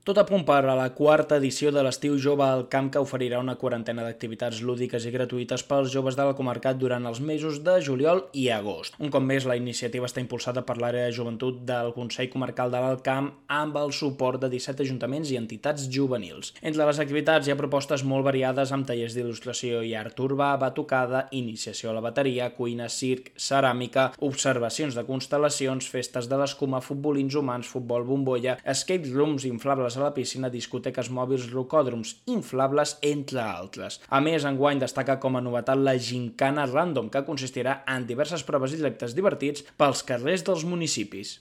Tot a punt per a la quarta edició de l'Estiu Jove al Camp, que oferirà una quarantena d'activitats lúdiques i gratuïtes pels joves de la comarca durant els mesos de juliol i agost. Un cop més, la iniciativa està impulsada per l'àrea de joventut del Consell Comarcal de l'Alt Camp amb el suport de 17 ajuntaments i entitats juvenils. Entre les activitats hi ha propostes molt variades amb tallers d'il·lustració i art urbà, batucada, iniciació a la bateria, cuina, circ, ceràmica, observacions de constel·lacions, festes de l'escuma, futbolins humans, futbol bombolla, escape rooms inflables a la piscina, discoteques mòbils, rocòdroms inflables, entre altres. A més, enguany destaca com a novetat la Gincana Random, que consistirà en diverses proves i reptes divertits pels carrers dels municipis.